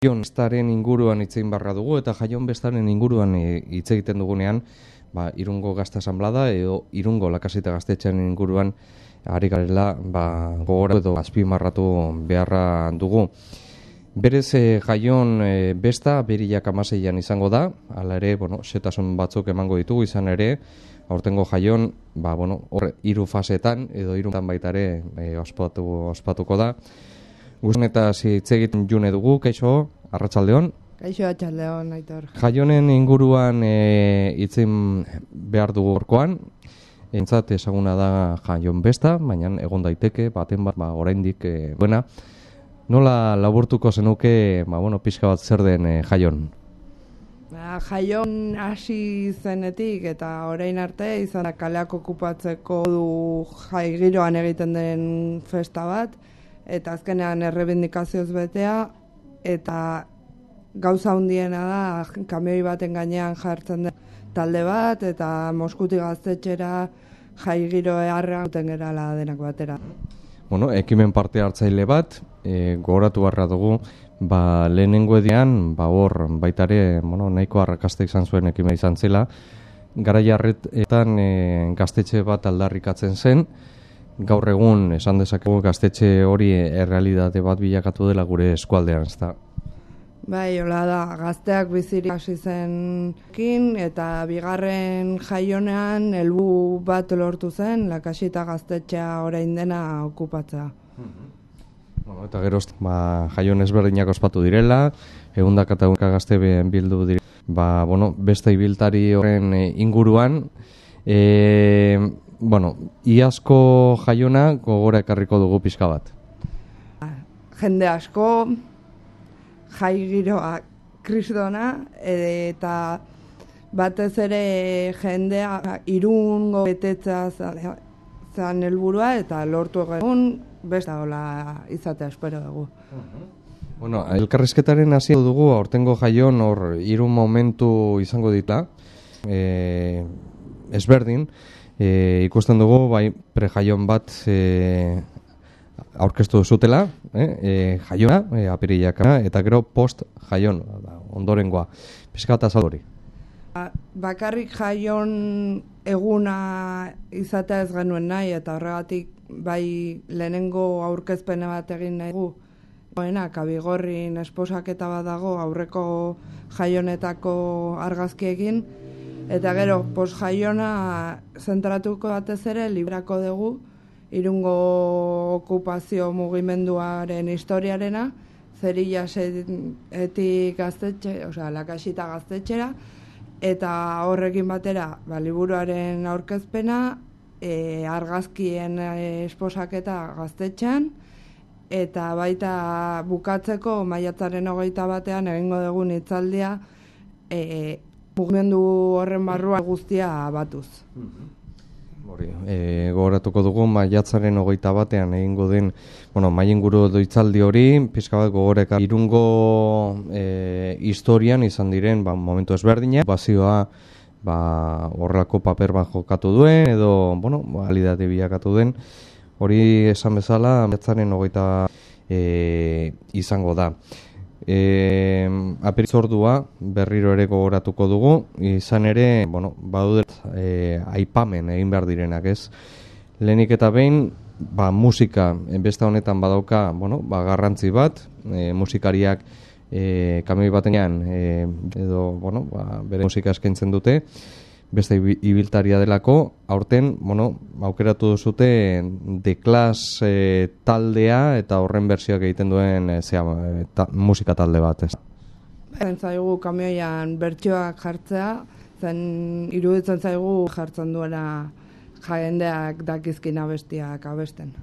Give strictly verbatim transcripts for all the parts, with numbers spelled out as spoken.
Jaion bestaren inguruan hitz egin barra dugu, eta jaion bestaren inguruan hitz egiten dugunean, ba, Irungo Gazte Asanblada edo Irungo Lakasita Gaztetxearen inguruan ari garela ba, gogora edo azpimarratu beharra dugu. Berez e, jaion e, besta berilak amaseian izango da, hala ere, bueno, setasun batzuk emango ditugu izan ere, aurtengo jaion, ba, bueno, hor hiru fasetan edo hirutan baita ere e, ospatu, ospatuko da. Guztan eta hitz egiten june dugu, kaixo, arratsaldeon. Kaixo, arratsaldeon, Aitor. Jaionen inguruan e, hitzen behar dugu orkoan. Entzat ezaguna da jaion besta, baina egon daiteke, baten bat, ba, oraindik e, buena. Nola laburtuko zenuke, ba, bueno, pixka bat zer den e, jaion? Ba, jaion hasi zenetik eta orain arte izan da kaleak okupatzeko du jai giroan egiten den festa bat, eta azkenean errebindikazioz betea, eta gauza handiena da kamioi baten gainean jartzen den talde bat, eta Moskuti Gaztetxera jai giro eharra duten gerala denak batera. Bueno, ekimen parte hartzaile bat, e, gogoratu barra dugu, ba, lehenengo edian, ba, hor, baitare, bueno, nahiko arrakasta izan zuen ekimen izan zela, garai harretan e, gaztetxe bat aldarrikatzen zen, gaur egun esan dezakegu gaztetxe hori errealitate bat bilakatu dela gure eskualdean, ezta? Bai, hola da, gazteak bizirik hasi zenkin, eta bigarren jaionean helbu bat lortu zen, Lakasita Gaztetxea orain dena okupatzea. Bueno, eta geroz, ba, jaion ezberdinak ospatu direla, ehundaka eta ehundaka gazte bildu direla, ba, bueno, beste ibiltari horren inguruan, e, bueno, iazko jaiona gogora ekarriko dugu pixka bat. Jende asko, jai giroa kristona, eta batez ere jendea Irungo betetza zan helburua, eta lortu egun besta hola izatea espero dugu. Bueno, elkarrizketaren hasi dugu, aurtengo jaion hor hiru momentu izango dita, e, ezberdin, e, ikusten dugu, bai, prejaion bat e, aurkeztu zutela, eh, e, jaiona, e, apirilaka, eta gero post jaion, ondorengoa. Pizka eta salori. Bakarrik jaion eguna izatea ez genuen nahi, eta horregatik bai lehenengo aurkezpena bat egin nahi gu. Goena, Kabigorrin esposaketa bat dago aurreko jaionetako argazkiekin, eta gero post jaiona zentratuko batez ere librako dugu, Irungo okupazio mugimenduaren historiarena, Zerillasetik gaztetxe, osea, Lakasita Gaztetxera, eta horrekin batera, ba, liburuaren aurkezpena, e, argazkien esposaketa gaztetxean, eta baita bukatzeko maiatzaren hogeita batean egingo dugun hitzaldia e, mugimendu horren barrua guztia batuz. Hori, e, gogoratuko dugu maiatzaren hogeita batean egingo den, bueno, mailinguru doitzaldi hori, pixka bat gogoreka Irungo e, historian izan diren, ba, momentu ezberdina, bazioa, ba, horrelako paper bat jokatu duen, edo, bueno, alidate bilakatu den, hori esan bezala maiatzaren hogeita e, izango da. E, apiritzordua berriro ere gogoratuko dugu, izan ere, bueno, badudet e, aipamen egin behar direnak, ez? Lehenik eta behin, ba, musika, besta honetan badauka, bueno, ba, garrantzi bat, e, musikariak e, kamioi batean e, edo, bueno, ba, bere musika eskaintzen dute, beste ibiltaria delako, aurten, bueno, aukeratu duzute The Clash e, taldea eta horren bersioak egiten duen e, zea, e, ta, musika talde bat, ez? Zen zaigu kamioian bertsioak jartzea, zen iruditzen zaigu jartzen duela jendeak dakizkin abestiak abesten.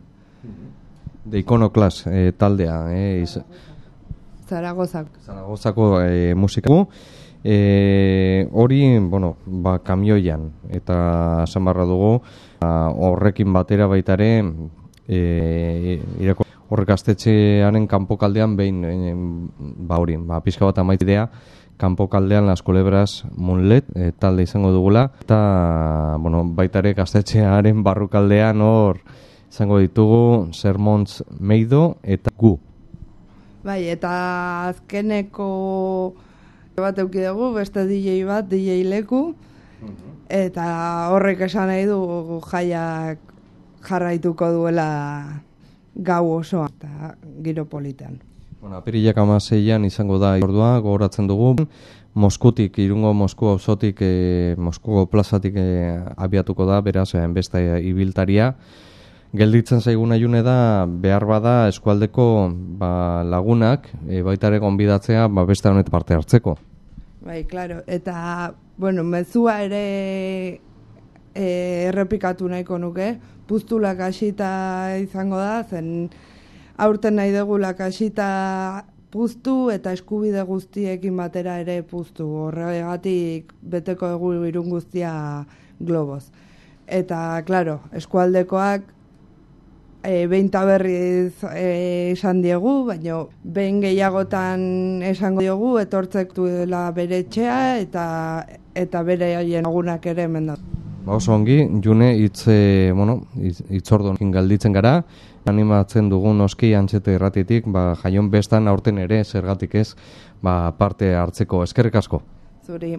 The Iconoclast e, taldea, e, iz... Zaragozako. Zaragozako e, musika. E, hori, bueno, ba, kamioian, eta esan barra dugu, ba, horrekin batera baitare, e, irako, horrek gaztetxearen kanpokaldean behin, e, ba hori, ba, pixka bat amaitidea, kanpokaldean Las Culebras Moonlet e, talde izango dugula, eta, bueno, baitare gaztetxearen barrukaldean hor izango ditugu Sermons Meido eta Gu. Bai, eta azkeneko bat euki dugu, beste D J bat, D J leku, eta horrek esan nahi du jaiak jarraituko duela gau osoa, eta giro politean. Bueno, apirilak hamaseian izango da ordua, gogoratzen dugu. Moskutik, Irungo Mosku auzotik, e, Moskuko plazatik e, abiatuko da, beraz, e, beste ibiltaria. Gelditzen zaigun aiune da, behar bada eskualdeko ba, lagunak, e, baita ere gonbidatzea ba, beste honet parte hartzeko. Bai, claro, eta, bueno, mezua ere e, errepikatu nahiko nuke, puztulak hasita izango da, zen aurten nahi degulak hasita puztu eta eskubide guztiekin batera ere puztu. Horregatik beteko dugu Irun guztia globoz. Eta, claro, eskualdekoak e, behin taberriz e, esan diegu, baina behin gehiagotan esango diogu etortzek duela bere etxea eta, eta bere haien lagunak ere hemen da. Ba oso ongi, June hitz e, bueno, hitzorduekin galditzen gara, animatzen dugun noski Antxete irratitik, ba jaion bestan aurten ere zergatik ez, ba parte hartzeko. Eskerrik asko. Zuri.